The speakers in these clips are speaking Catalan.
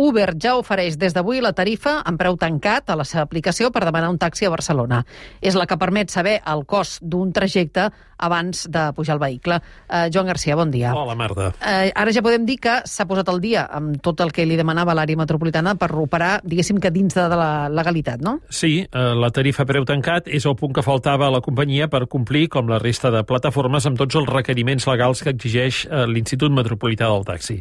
Uber ja ofereix des d'avui la tarifa en preu tancat a la seva aplicació per demanar un taxi a Barcelona. És la que permet saber el cost d'un trajecte abans de pujar al vehicle. Joan Garcia, bon dia. Hola, Marta. Ara ja podem dir que s'ha posat al dia amb tot el que li demanava l'àrea metropolitana per operar, diguéssim que dins de la legalitat, no? Sí, la tarifa preu tancat és el punt que faltava a la companyia per complir, com la resta de plataformes, amb tots els requeriments legals que exigeix l'Institut Metropolità del Taxi.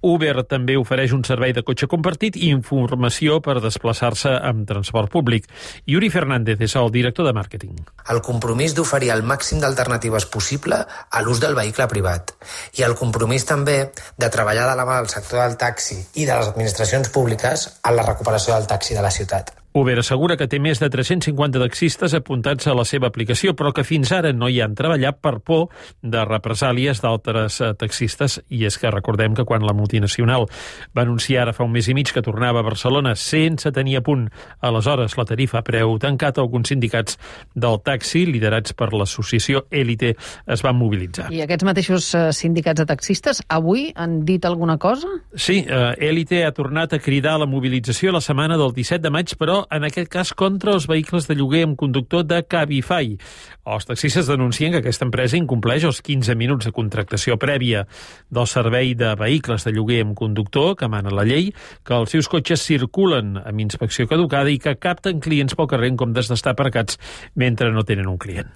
Uber també ofereix un servei de cotxe compartit i informació per desplaçar-se amb transport públic. Yuri Fernández és el director de màrqueting. El compromís d'oferir el màxim d'alternatives possible a l'ús del vehicle privat i el compromís també de treballar de la mà del sector del taxi i de les administracions públiques en la recuperació del taxi de la ciutat. Uber assegura que té més de 350 taxistes apuntats a la seva aplicació, però que fins ara no hi han treballat per por de represàlies d'altres taxistes. I és que recordem que quan la multinacional va anunciar ara fa un mes i mig que tornava a Barcelona sense tenir a punt aleshores la tarifa a preu tancat, alguns sindicats del taxi, liderats per l'associació Élite, es van mobilitzar. I aquests mateixos sindicats de taxistes avui han dit alguna cosa? Sí, Élite ha tornat a cridar a la mobilització la setmana del 17 de maig, però en aquest cas contra els vehicles de lloguer amb conductor de Cabify. Els taxistes denuncien que aquesta empresa incompleix els 15 minuts de contractació prèvia del servei de vehicles de lloguer amb conductor que mana la llei, que els seus cotxes circulen amb inspecció caducada i que capten clients pel carrer en comptes d'estar aparcats mentre no tenen un client.